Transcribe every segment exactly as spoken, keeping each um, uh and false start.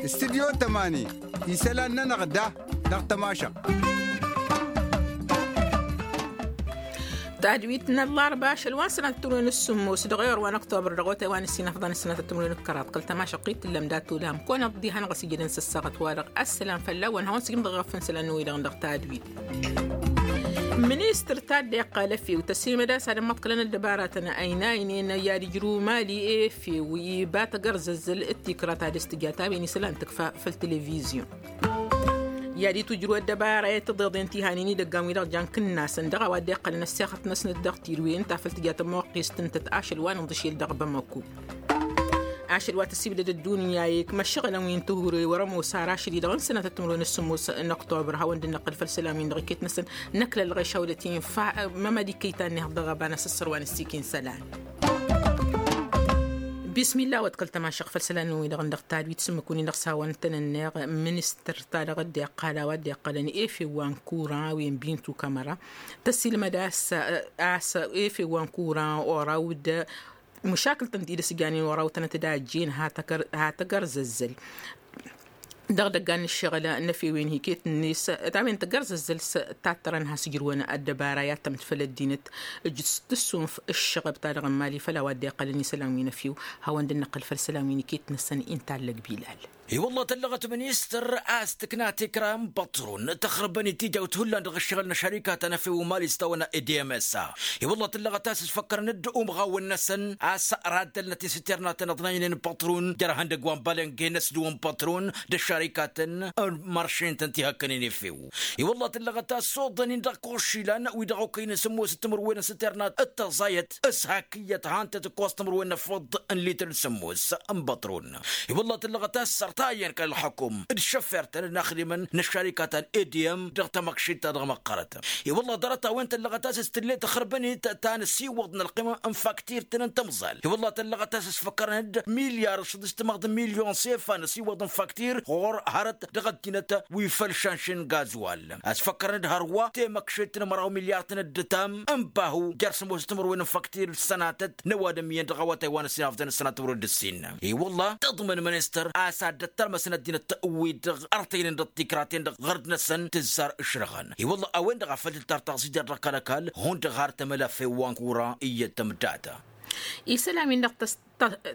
Studyo tămani isălan-nănăɣ da dăɣ-tămašăɣt. Tadwit n-ăllarba ašăl wa n-sănatăt timǝrwen s-sǝmmos dăɣ-ewăr wa n-ăktobăr dăɣ-otay wa n-ǝssin afḍăn s-sănatăt timǝrwen d-kăraḍ kăl-tămašăɣt-i t-tǝllăm dat-olham kăwăn-ăḍḍi hanăɣ-ăsijădăn s-ăssaɣăt-wa-dăɣ. Ăssălam fălla-wen hawăn-sǝjǝm dăɣ-iɣăf n-isălan-wi-dăɣ dăɣ-tadwit. Ministăr ta dd-iqqal efew tăsimăd a-s ad-ămmăḍkălăn ăddăbaratăn ăynaynen i-ad-ijrǝw mali efew iba tăgărzăzzăl d-tikra ta dăr-s tǝja ta-wen isălan tǝkfa făll-televizyon. I-ad-itwǝjrǝw ăddăbara i-tǝḍeḍen tihanen idăggan-wi-dăɣ jan kǝnnasăn dăɣ-a-wa dd-iqqălăn ăssexăt-năsnăt dăɣ-tirwen ta făll-tǝja tămoqqest ǝntăt ašăl wa n-iḍǝšel dăɣ-bamăko. Ašăl wa tăsibdăd ăddunya i-măššăɣǝl n-wi n-tihǝre wăr-ămoos ar ašăl-i-dăɣ n-sănatăt timǝrwen s-sǝmmos n-oktobăr hawăn-dd-năqqǝl făll-isălan-win-dăɣ iket-năsăn năkk lălɣeš hawlăt-in. Fa mămăd iket ta n-ehăḍ dăɣ-ăba n-asǝssăr wa n-ăssikin isălan. Bismillah wa d-kăl-tămašăɣ făll-isălan-wi-dăɣ n-dăɣ tadwit s-ǝmmǝk-win-dăɣ s-hawăn-tăn-ănneɣ. Ministăr-ta-dăɣ dd-iqqal a-wa dd-iqqălăn efew wa n-kuran a-wen bintu kamăra tăsilmăd a-s a-s efew wa n-kuran oraw d-măšakǝl-tăn-ti d-ǝsjanen oraw tănăt-dd a ăjjeen ha tăgărzăzzăl. Dăɣ-idăggan n-ǝššăɣǝl n-efewen hiket-net ta-wen tăgărzăzzăl s-tattărăn has-ǝjrǝwăn ăddăbara i-ad-tămǝd făll-ăddinăt ǝjǝs tǝssunf ǝššăɣăb-ta-dăɣ n-imali făll-a-wa dd-iqqălăn isălan wi n-efew. Hawăn-dd-năqqǝl făll-isălan wi n-iket-năsăn inta allăg bilal. I-wălla tăllăɣăt ministăr a-s tǝkna tikra n-băṭrun tăxrǝbăn-i tijawt hullan dăɣ-ǝššăɣǝl n-ăššărikatăn efew n-imali s-tawănna edmsa. I-wălla tăllăɣăt a-s ǝsfăkkărăn-dd umɣawăn-năsăn a-s raddălnăt isǝtternaten ăḍnăynen n-pătrun jer-ihăndăgg wa n-balănge n-ăsdǝwăn pătrun d-ăššarikatăn n-măršen-tăn tihăkkănen efew. I-wălla tǝllăɣăt a-s oḍăn-in dăɣ-košilan wi dăɣ-okăynen sǝmmos d-timǝrwen n-isǝtternat d-tăẓayăt s-hak iyyăt han-tăt-ǝkkoẓ timǝrwen n-efăḍ n-litǝr d-sǝmmos n-pătrun. I-wălla tǝllăɣăt a-s sărtayăn kăl-ălxăkum d-išăffirtăn d-inaxdimăn n-ăššarikatăn edm dăɣ-tamăkšit-ta-dăɣ măqqărăt. I-wălla ḍarăt-a-wen tăllăɣăt a-s s-tǝllet ăxrăbăn-it ta n-ăsiwăḍ n-ălqima n-faktǝr-tăn n-tamẓal. I-wălla tăllăɣăt a-s s-făkkărăn-dd milyar šăḍiš timaḍ n-milyon s-efa n-ăsiwăḍ n-faktǝr ɣur-hărăt dăɣ-ăddinăt wi făll-šanšen n-gazwal. A-s făkkărăn-dd hărwa temăkšet n-măraw milyar-tăn d-ǝtam n-bahu jer-sămoos timǝrwen n-faktǝr d-sănatăt n-ăwadǝm iyyăn dăɣ-awătay wa n-ăssinafdăn d-sănatăt wăr-dd-ǝssin. I-wălla tǝḍmăn ministăr a-s ad-dd-ăttalmăsăn ăddinăt wi-dăɣ ărtăynen dăɣ-tikraten-dăɣ ɣărd-năsăn tǝzzar ǝšrăɣăn. I-wălla a-wen-dăɣ a făl tǝltar taɣzit jer-dăɣ kăl-ăkall hundăɣ har tămăla few wa n-kura iyyăt tămdata. Isălan-win-dăɣ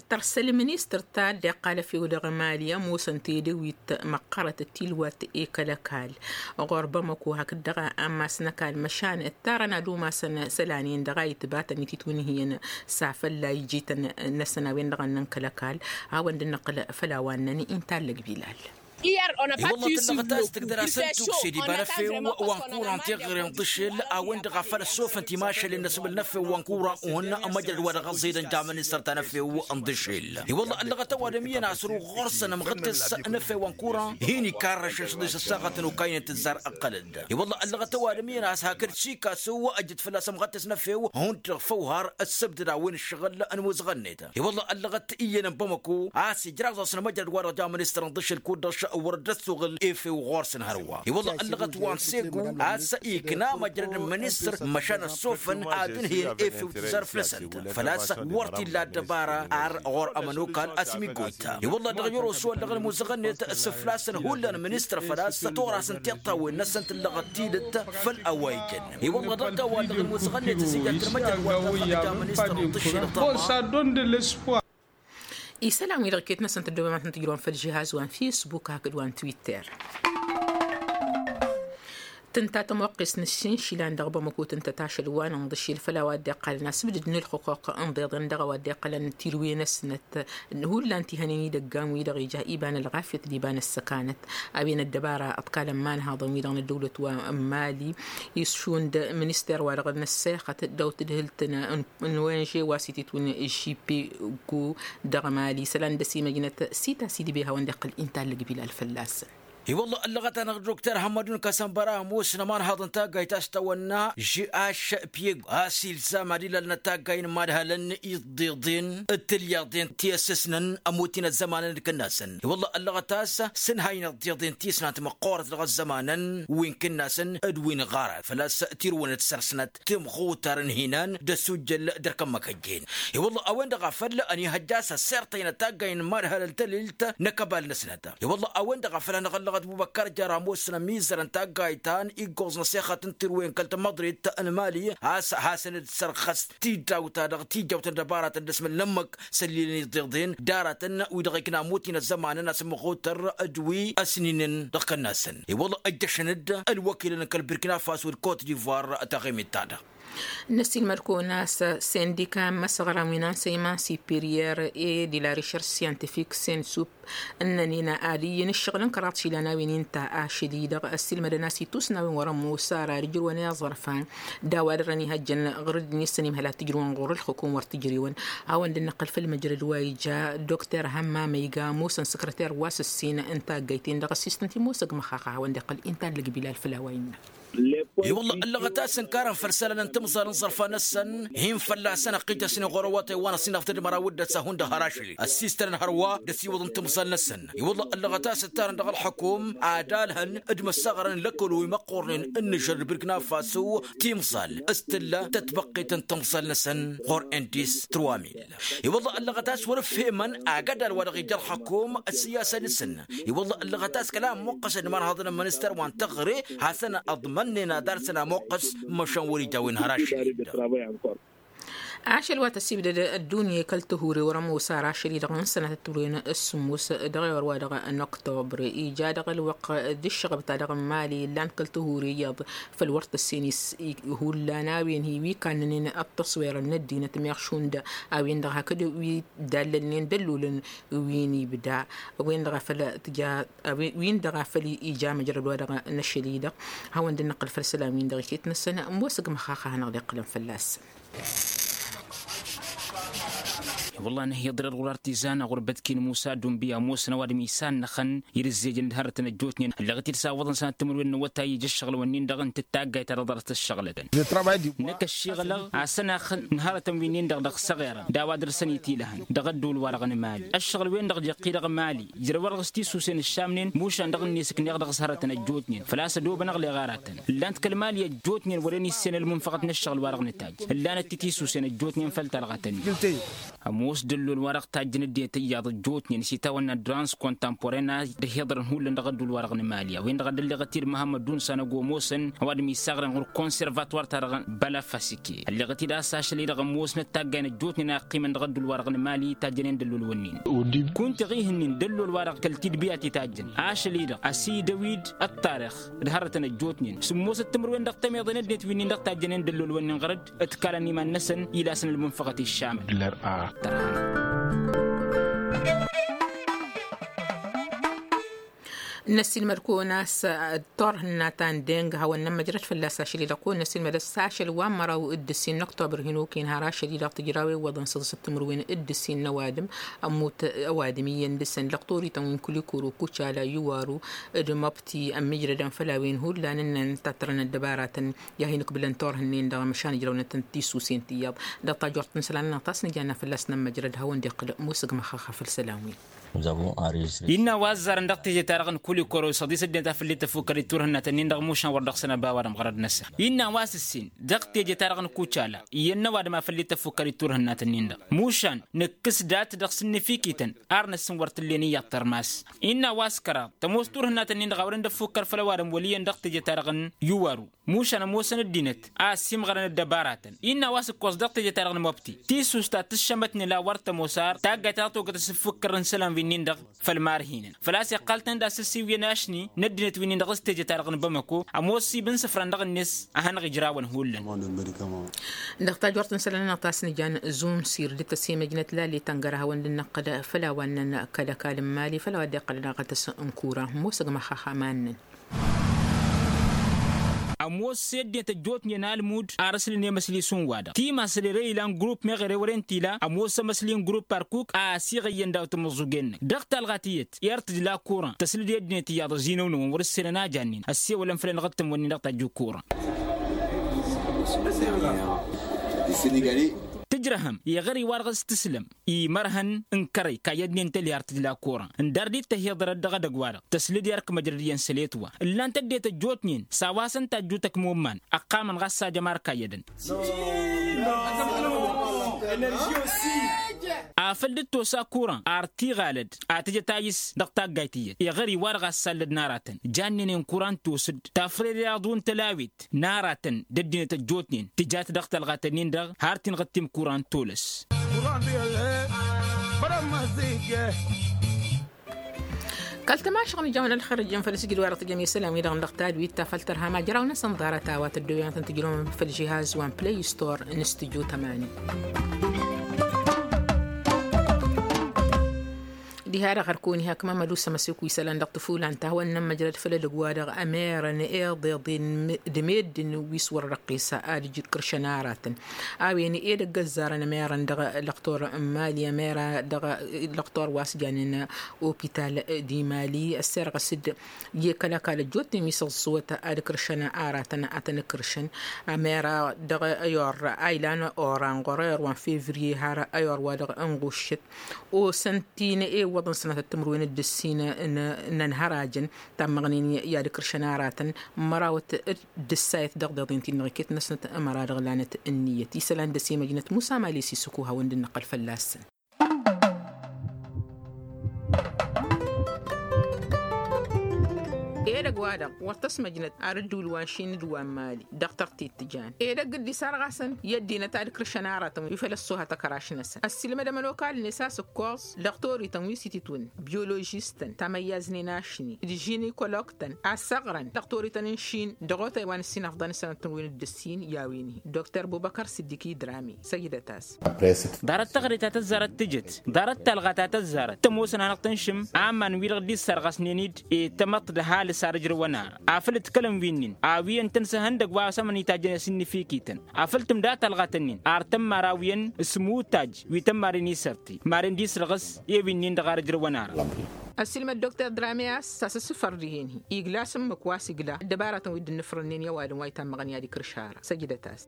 tărsăl ministăr ta dd-iqqal efew dăɣ-emali ămoosăn tedăwit măqqărăt d-tilwat i-kăl-ăkall ɣur-bamăko hakd-dăɣ ammas n-ăkall măšan ǝttarăn ad-umasăn isălan-in-dăɣ a itbatăn ititwǝnhǝyăn. S-afălla ijităn-năsăn a-wen-dăɣ ănnăn kăl-ăkall. Hawăn-dd-năqqǝl făll-a-wa ǝnnăn inta allăg bilal. I-wălla tǝllăɣăt a-s tǝgdăr-asăn tukse d-iba n-efew wa n-kuran teɣăre n-iḍǝšel a-wen-dăɣ a făl ăssofăn timašalen n-asbǝl n-efew wa n-kuran uhǝn. Măjrăd wa dăɣ-ăẓẓidăn jaman isăr ta n-efew n-iḍǝšel. I-wălla ăllăɣăt ăwadǝm iyyăn a-s ăru ɣur-săn ămɣǝd-s n-efew wa n-kuran hin-ikarrăšăn šăḍi s-ăssaɣăt n-okaynen tǝzzar ǝqqălăd. I-wălla ăllăɣăt ăwadǝm iyyăn a-s hakd sikasu ăjăt fălla-s ămɣăd-s n-efew hundăɣ făw har ăssăbdăd a-wen ǝššăɣǝl n-imuzăɣăn-net. I-wălla ăllăɣăt iyyăn n-bamăko a-s ijraẓ-asăn măjrăd-wa-dăɣ ja ministăr n-iḍǝšel kud-dăɣ wăr dd-ăssuɣǝl efew ɣur-săn hărwa. I-wălla ăllăɣăt wa n-segu a-s ikna măjrăd n-ministăr măšan ăssofăn ad-ǝnhǝyăn efew tǝzzar făll-săn. Făl-a-s wăr t-illa ăddăbara ar ɣur-ămănokal a-s imiggoyta. I-wălla dăɣ-yărosu ăllăɣ n-imuzăɣăn-net s-fălla-săn hullan ministăr făl-a-s tora-săn tiṭṭawen-năsăn tǝllăɣăt tidǝt făll-a-wa ijăn. I-wălla dăɣ-dăɣ wa ăllăɣ n-imuzăɣăn-net s-ija d-tărmăjrăd wa dăɣ-fălla ja ministăr n-iḍǝšel. Isălan-wi-dăɣ iket-năsăn tăddoobăm ad-tăn-tǝjrăwăm făll-žihaz wa n-fisbuk hakd wa n-twitter. Tǝnta tămoqqes n-aššinšilan dăɣ-bamăko tǝntăt ašăl wa n-inḍǝšel făll-a-wa dd-iqqălăn asǝbdǝd n-ǝlxǝqquq ǝnḍeḍen dăɣ-a-wa dd-iqqălăn tirwen-năsnăt. Hullan tihănen idăggan-wi-dăɣ ija iba n-ălɣafyăt d-iba n-ăssăkanăt. A-wen ăddăbara ǝḍkalăn imanhaḍăn-wi-dăɣ n-ăddăwlăt wa n-mali išund minister-wa-dăɣ n-ăssexăt dăw-tǝdhǝlt n-wenže wa s-ititwǝn žipego dăɣ-mali isălan d-ăsimăjnăt sita s-idǝbe hawăn-dd-iqqăl inta allăg bilal fălla-săn. I-wălla ăllăɣăt-anăɣ dokter hămmădun kăsănbăra ămoosăn ămanhaḍ n-taggayt a-s tawănna žh piego a-s ilzam ad-ilalnăt taggay n-imadhălăn iḍḍiḍen d-tilyaḍen ti ăssăsnăn ămotin ăzzămanăn d-kănnasăn. I-wălla ăllăɣăt a-s sǝnhaynen iḍḍiḍen ti ǝsnant măqqoorăt dăɣ-ăzzămanăn wi n-kănnasăn d-wi n-ɣarăt făl-a-s tirǝwăn d-săr-snăt timɣutar n-hinan d-ăssujjăl d-ărkămmăk ăjjeen. I-wălla a-wen-dăɣ a făl ănihăjja a-s ăssirtăynăt taggay n-imadhălăn tălilt n-ăkăbal-năsnăt. I-wălla a-wen-dăɣ a făl hanăɣ-ăllăɣăt bubăkkar jăr ămoosăn ămizăr n-taggayt ta n-iggoẓ n-ăssexăt n-tirwen kăl-tămmăḍrit n-mali a-s hasăn-dd-sărɣăs tiddaw-ta-dăɣ tijjawt n-dăbaratăn d-asmǝllămmăk s-ăllilăn iḍeḍen d-aratăn wi-dăɣ ikna ămotin ăzzămanăn asǝmmăɣotăr d-wi ăsninen dăɣ-kănnasăn. I-wălla ăjjăšăn-dd ălwăkilăn kăl-birkina faso d-kot divoir taɣimit-ta-dăɣ. Năsiilmăd-kăwăn a-s sindika n-imăsăɣran wi n-ansăyman siperyer e di la recherche scientifique sensup ǝnnăn-in ad-iyyăn ǝššăɣǝl n-kăraḍ išilan a-wen inta ašăl-i-dăɣ ăssiilmădăn a-s itusna a-wen wăr-ămoos ara ad-ǝjrǝwăn iẓărfan d-a-wa dăr-ănihăjjăn ɣur-dd-nissăn imhăl ad-t-ǝjrǝwăn ɣur-ǝlxǝkum wăr t-ǝjrewăn. Hawăn-dd-năqqăl făll-măjrăd wa ija dokter hămmamăyga ămoosăn săkrăter wa s-ǝssin n-taggayt-in-dăɣ ăssistăn timosăg măxxaxa hawăn-dd-iqqăl inta n-lăgbilal făll-a-wa innă. I-wălla ăllăɣăt a-s ǝnkarăn făll-isălan n-timẓal n-iẓărfan-năsăn hin-fălla-săn ăqqităsnen ɣur-awătay wa n-ăṣṣinăɣ tădmăra wădden s-ad-hundăɣ har ašăl-i ăssistănăn hărwa d-ăsiwăḍăn timẓal-năsăn. I-wălla ăllăɣăt a-s ǝntarăn dăɣ-ălxukum ad-alhăn d-imăssaɣrăn n-lăkălo imăqqornen n-nǝžăr d-birkna faso timẓal s-tǝlla tătbăqqet n-timẓal-năsăn ɣur-indis trăwamil. I-wălla ăllăɣăt a-s wăr-ǝfhemăn agădal wa dăɣ-ija ălxukum ăssiyasăn-năsăn. I-wălla ăllăɣăt a-s kăla ămmuqqăsăn d-imanhaḍăn n-ministăr wa n-teɣăre hasăn-ăḍmănnen ad-arsăn amuqqăs măšan wăr-ija a-wen har ašăl-i-dăɣ. Ašăl wa tăsibdăd ăddunya i-kăl-tăhure wăr-ămoos ar ašăl-i-dăɣ n-sănatăt turwen s-sǝmmos dăɣ-ewăr wa dăɣ-năktobr ija dăɣ-ălwăqq d-ǝššăɣăb-ta-dăɣ n-imali illan kăl-tăhure iyyăḍ făll-wăr tăssin-i hullan a-wen hi-wi kannănen ăṭṭăṣwerăn n-ăddinăt meɣ šund a-wen-dăɣ hakd wi dd-allălnen d-ăllulăn wi n-ibda wen-dăɣ a făl tǝja wi-dăɣ a făl ija măjrăd wa dăɣ-năšăl-i-dăɣ. Hawăn-dd-năqqăl făll-isălan-win-dăɣ iket-năsăn ămoosăg măxaxa a hanăɣ-dd-iqqălăn fălla-săn. Wălla nǝhhi iḍrăr ɣur-artizan ɣur-bătkin musa dumbi ămoosăn ăwadǝm isannăxăn irǝzzejăn d-hărătăn ăjjootnen ălleɣ-t-dd s-awwăḍăn sănat timǝrwen n-awătay ija ǝššăɣǝl-wǝnnin-dăɣ n-tǝttaggayt ta dăɣ-ḍarăt ăššăɣǝlătăn. Năkk ăššiɣălăɣ ad-săn-axǝn n-hărătăn wi-nin-dăɣ dăɣ-săɣerăn d-a-wa dăr-săn itilăhăn dăɣ-ădduul-wa-dăɣ n-imali ăššăɣǝl-wen-dăɣ dd-iqqi dăɣ-imali ijrăw-arăɣ s-tisusen ǝššamnen mušan dăɣ-net ǝkneɣ dăɣ-s hărătăn ăjjootnen făl-a-s ădoobănăɣ leɣ aratăn ǝllan-t kăl-imali ăjjootnen wăren issen ălmunfăɣăt n-ǝššăɣǝl-wa-dăɣ nǝtajj ǝllanăt-t tisusen ăjjootnen făll-talɣătăn. Ămoos dăllol-wa-dăɣ tajjăn ăddinăt iyyăḍ ăjjootnen s-itawănna d-rans kontamporen a dd-hiḍărăn hullan dăɣ-ădduul-wa-dăɣ n-imali a-wen-dăɣ a dd-ălleɣăt-dd măhămmăd dunsan ăgg-omosăn ăwadǝm issaɣrăn ɣur-konservatwar-ta-dăɣ n-bălafasike ălleɣăt-dd a-s ašăl-i-dăɣ ămoosnăt taggay n-ăjjootnen a ăqqimăn dăɣ-ădduul-wa-dăɣ n-imali tajjănen dăllol-wǝnnin. Kunta iɣihǝnnin dăllol-wa-dăɣ kăl-tidbiyat itajjăn ašăl-i-dăɣ ăsidăw-dd ăṭṭarix d-hărrătăn ăjjootnen sǝmmosăt timǝrwen dăɣ-tămeḍe n-ăddinăt wi-nin-dăɣ tajjănen dăllol-wǝnnin ɣăr-dd ǝtkalăn iman-năsăn ilasăn ălmunfăɣăt iššamăn. Năssiilmăd-kăwăn a-s turhǝnna ta n-deng hawăn-nămmăjrăd fălla-s ašăl-i-dăɣ kăwăn-năssiilmăd a-s ašăl wa n-măraw d-ǝssin n-oktober hin-okăyăn har ašăl-i-dăɣ tǝjraw iwwăḍăn săḍǝsăt timǝrwen d-ǝssin n-ăwadǝm ămmut ăwadǝm iyyăn dăr-săn lăqtorităn wi n-kulikoro kucala iwaru d-măbti ămmijrădăn făll-a-wen hullan ǝnnăn tattărăn ăddăbaratăn i-ad-hin-ǝkbǝlăn turhǝnnen-dăɣ măšan ǝjrăwnăt n-tisusen tiyyăḍ. Dăɣ-tajort n-isălan-nănăɣ ta s-nǝja n-a fălla-s nămmăjrăd hawăn-dd-iqqǝl musǝg măxxaxxa făll-isălan-wi. Innă a-wa ăzzarăn dăɣ-teje-ta-dăɣ n-kulikoro s-ăḍisăt dăɣ-tafǝllit tăfukkăr i-turhǝnnat-ǝnnin-dăɣ mušan wăr dăɣ-săn ăba ăwadǝm ɣărăd-năsăn. Innă a-wa s-ǝssin dăɣ-teje-ta-dăɣ n-kucala iyyăn n-ăwadǝm a făllit tăfukkăr i-turhǝnnat-ǝnnin-dăɣ mušan nǝkkǝs dat dăɣ-sǝnnǝfikităn ar năssǝn wăr t-ǝllen iyyăḍ tărmas. Innă a-wa s-kăraḍ tămoos turhǝnnat-ǝnnin-dăɣ a wărăn d-ăfukkăr făll-ăwadǝm wăl' iyyăn dăɣ-teje-ta-dăɣ n-iwaru mušan ămoosăn ăddinăt a ăssiimɣărăn ăddăbaratăn. Innă a-wa s-ǝkkoẓ dăɣ-teje-ta-dăɣ n-măbti tisust ta tǝššămătnen la wăr tămoos ar taggayt ta tătwăgăt asǝffukkăr n-isălan wi-nin-dăɣ făll-imarhinăn făl-a-s iqqal-tăn d-asǝssiwǝyăn ašni n-ăddinăt wi-nin-dăɣ s-teje-ta-dăɣ n-bamăko ămoos sib n-isǝfran dăɣ-net a hanăɣ-ijrawăn hullan. Dăɣ-tajort n-isălan-nănăɣ ta s-nǝjan zumsir d-tăsemăjnăt lale-tăn gar-hawăn-dd-năqqăl făll-a-wa ǝnnăn kăl-ăkall n-imali făll-a-wa dd-iqqălăn aɣătăs n-kura ămoosăg măxxaxa ma ǝnnăn. Ămoos i-ăddinăt ăjjootnen almud ar ǝslǝn i-măsli s-un-wa-dăɣ timas ere ilan grupp meɣ ere wăren t-ila ămoos ămăsli n-grupp arkuk a ăsiɣăyyăn daw-tamǝẓẓugen-năk dăɣ-talɣa tiyyăt i-ar tǝjla kuran tăslǝd i-ăddinăt iyyăḍ ăzinăwnăwăn wăr-ǝssenăn a jannen ăssewălăn făll-enăɣ d-tǝmmǝnnin dăɣ-tajju kuran. Tǝjrăhăm iɣăr-i-wa-dăɣ s-tǝslăm imărhăn n-kărăy kayyădnen tălhi ar tǝjla kuran ǝndar dd-tăhiḍărăt dăɣ-edăgg-wa-dăɣ tăslǝd i-arkǝm ăjrăd iyyăn săl i-ătwa ǝllan-t ăddinăt ăjjootnen s-a-wa săn tajju tăkmumman ăqqamăn ɣas s-ajăm ar kayyădăn. Afăl dd-tosa kuran ar t-iɣalăd a tǝjăt ayǝs dăɣ-taggayt iyyăt iɣăr-i-wa-dăɣ a ăssallăd n-aratăn jannen i-n kuran tosǝd tafrere aḍu n-tălawit n-aratăn d-ăddinăt ăjjootnen tǝjat dăɣ-talɣatăn-in-dăɣ har tinɣǝttim kuran tolăs. Kăl-tămašăɣ n-ijawăn ălxer ǝjjăn făll-asǝjǝd wa-dăɣ tǝjăm isălan-wi-dăɣ n-dăɣ tadwit ta făll-tărha majraw-năsăn ḍarăt a-wa tăddoyăn ad-tăn-tǝjrăwăn făll-žihaz wa n-play store n-stujo tămani. Diha-dăɣ hărkăwăn iha kămămăd usăm ăsiku isălan dăɣ-tǝfulan ta hawăn-nămmăjrăd făll-edăgg-wa-dăɣ ămerăn iḍeḍen d-meddǝn wi s-wăr răqqis ad-ǝjǝd kăršăn aratăn. A-wen edăgg ăzzarăn ămerăn dăɣ-lăqtor n-mali ămera dăɣ-lăqtor wa s-janen opital di mali ăsserɣăs-dd i-kăl-ăkall ăjjootnen wi s-ăẓẓuwăt ad-kăršăn aratăn ad-tăn-kăršăn. Ămera dăɣ-ayor a ilan oranɣor ayor wa n-fevriye har ayor wa dăɣ-ănɣuššăt osăn ti n-ewăḍăn sănatăt timǝrwen d-ǝssin n-ănhărajăn tammăɣnen i-ad-kăršăn aratăn mărawăt d-ǝssayăt dăɣ-deḍen ti-dăɣ iket-năsnăt ămăra dăɣ-lanăt ǝnniyăt isălan dăr-s i-măjnăt musa mali s-isǝkuha wănd n-năqqăl fălla-săn. Edăgg-wa-dăɣ wăr tăsmăjnăt ar ǝddǝwǝl wa n-šin d-wa n-mali dăɣ-tărtit tǝjan edăgg dd-isarɣasăn i-ăddinăt ad-kăršăn aratăn wi făl ăṣṣuha tăkăraš-năsăn ăssiilmăd ămănokal-net a-s ǝkkoẓ dăɣ-torităn wi s-ititwǝn biyolojistăn tamăyyaznen ašni d-žinikologtăn a ăssăɣrăn dăɣ-torităn n-šin dăɣ-otay wa n-ǝssin afḍăn s-sănăt n-win dd-ǝssin i-a-wen-hi dr bubăkăr s-dd-ikǝy drame săjdăt-as. Ḍarăt taɣre ta tăzzarăt tǝjǝt ḍarăt talɣa ta tăzzarăt tămoosăn hanăɣ-tǝnšǝm aman-wi-dăɣ dd-issărɣăsnen-dd i-tamăḍt d-ăhalǝs ar ǝjrăwăn ara afăl ǝḍkălăn wi-nin a-wi ǝntăn s-ehăndăgg wa s-ămănitajjăn i-asǝnnǝfikităn afăl tǝmda talɣa-tăn-in ar tămmar a-wi ǝn s-imutaj wi tămmaren isărti maren d-isrăɣǝs i-wi-nin-dăɣ ar ǝjrăwăn ara. Ăssiilmăd dr drame a-s a-s ăssǝfăr dihen-hi igla s-ǝmmǝk wa s-igla ăddăbaratăn wi dd-ǝnnǝfrănnen i-ăwadǝm wa itammăɣăn i-ad-ikǝrš ara săjdăt-as.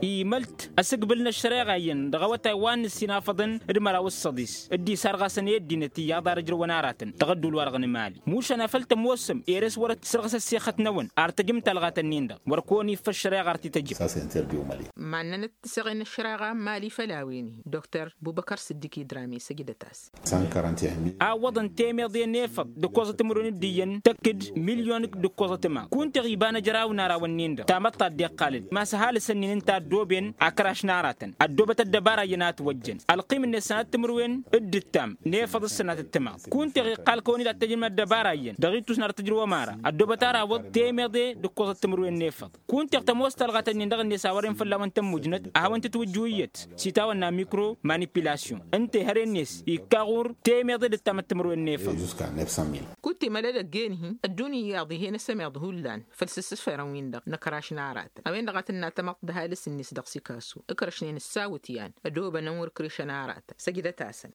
Imălt ăsǝgbǝl n-ăššăreɣa iyyăn dăɣ-awătay wa n-ǝssin afăḍăn d-măraw d-săḍis dd-isarɣasăn i-ăddinăt iyyăḍ ar ǝjrăwăn aratăn dăɣ-ădduul-wa-dăɣ n-imali mušan afăl tămoosăm ere-s wăr-ăssărɣǝs ăssixăt-năwăn ar tăjǝm talɣa-tăn-in-dăɣ wăr kăwăn-iffă ăššăreɣa ar t-tăjǝm. Mannăn d-tiseɣen n-ăššăreɣa n-imali făll-a-wen-hi dr bubăkăr s-dd-ikǝy drame săjdăt-as. A ǝwwăḍăn temeḍe n-efăḍ d-ǝkkoẓăt timǝrwen d-iyyăn tăkk-dd milyon d-ǝkkoẓăt ǝma kunta iɣ iba n-ejăraw n-arawăn-nin-dăɣ tamăḍt ta dd-iqqal-dd ma-s ăhalǝsăn-in ǝnta ăddooben akăraš n-aratăn ăddoobăt ăddăbara iyyăn a ătwăjjăn ălqim-net sănatăt timǝrwen d-ǝttam n-efăḍ s-sănatăt timaḍ kunta iɣ iqqal kăwăn-dd ad-tăjǝm ăddăbara iyyăn dăɣ-ittus n-ad-tăjrǝwăm ara ăddoobăt arawăḍ temeḍe d-ǝkkoẓăt timǝrwen n-efăḍ kunta iɣ tămoos talɣa-tăn-in dăɣ-net a wăren fălla-wăn tămmujnăt a hawăn-tǝtwǝjju iyyăt s-itawănna mikro manipilasyon ǝnta ihăre-net ikka ɣur-temeḍe d-ǝttamăt timǝrwen n-efăḍ. Kunta imălădăgg-en-hi ăddunya iyyăḍ ih'-en ăsămeḍ hullan făll-s-ǝssǝferăn-win-dăɣ n-akăraš n-aratăn a-wen-dăɣ a tǝnna tamăḍt d-ăhalǝs-net dăɣ-sikasu ǝkrăšnen ǝssawǝt i-an ădobănăn wăr-ǝkrešăn aratăn săjdăt-asăn.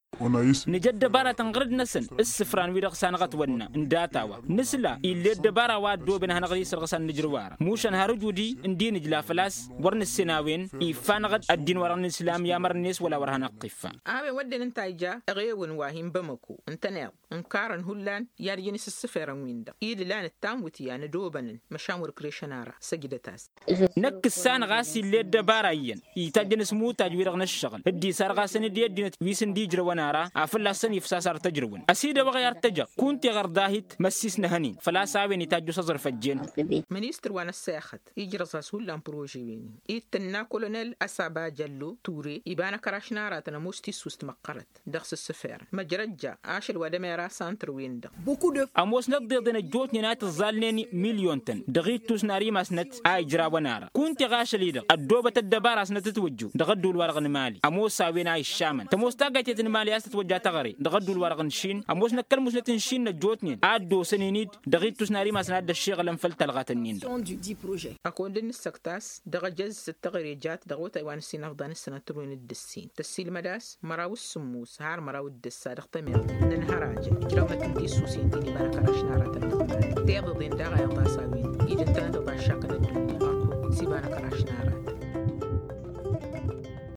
Nǝja ăddăbaratăn ɣărăd-năsăn ǝssǝfran-wi-dăɣ s-anăɣ-ătwănna n-data-wa nǝsla ill'-e ăddăbara wa ăddooben ad-hanăɣ-dd-isărɣǝs ad-nǝjrǝw ara mušan har ǝjudi ǝndi nǝjla făl-a-s wăr nǝssen a-wen iffa-năɣ-dd ăddin-wa-dăɣ n-islam i-amăr-net wăla wăr hanăɣ-t-iffa. A-wen wădden ǝnta a ija eɣewăn wa hin-bamăko ǝntăneḍ ǝnkarăn hullan i-ad-ǝjǝn isǝssǝferăn-win-dăɣ idǝlan d-tanwǝtyan ădobănăn măšan wăr-ǝkrešăn ara săjdăt-as. Năkk ǝssanăɣ a-s ill'-e ăddăbara iyyăn itajjăn s-imutaj-wi-dăɣ n-ǝššăɣǝl dd-isarɣasăn-dd i-ăddinăt wi s-ǝndi ijrăwăn ara a fălla-săn ifsas ar tăjrǝwăn ăsidăwăɣ i-ad-tăjăɣ kunta iɣărḍahit măssis n-ehăn-in făl-a-s a-wen itajju s-aẓrǝf ăjjeen. Ministăr wa n-ăssexăt ijrăẓ-as hullan prože-wen-in ittǝnna kolonel ăsaba jăllo ture iba n-akăraš n-aratăn ămoos tissust măqqărăt dăɣ-s ǝssǝferăn măjrăjja ašăl wa d-emera santăr-wen-dăɣ. Ămoosnăt d-iḍen ăjjootnen a tǝẓẓalnen milyon-tăn dăɣ-ittus n-ar imasnăt a ijrawăn ara kunta iɣ ašăl-i-dăɣ ăddoobăt ăddăbara-snăt ǝtwǝjju dăɣ-ădduul-wa-dăɣ n-imali ămoos a-wen a iššamăn tămoos taggayt i-tǝnmali. tătwăjja taɣăre dăɣ-ădduul-wa-dăɣ n-išin ămoosnăt kăl-musnăt n-išin n-ăjjootnen a ăddoosăn-in-dd dăɣ-ittus n-ar imasăn a dd-ăššiɣǝlăn făll-talɣat-nin-dăɣ. Akund n-nǝssăktas dăɣ-ajăz s-dd-taɣăre jat dăɣ-otay wa n-ǝssin ăfḍan ǝssănăt tǝrwen d-ǝssin tăssiilmăd-as măraw s-sǝmmus har măraw d-ǝssa dăɣ-temert n-ănhărajăn ijrăwmăt n-tisusen ti n-iba n-akăraš n-aratăn n-ămmal teḍăḍen daɣ a iḍas a-wen ija ǝntănăt ăḍaššakăn ăddunya ărkut s-iba n-akăraš n-aratăn.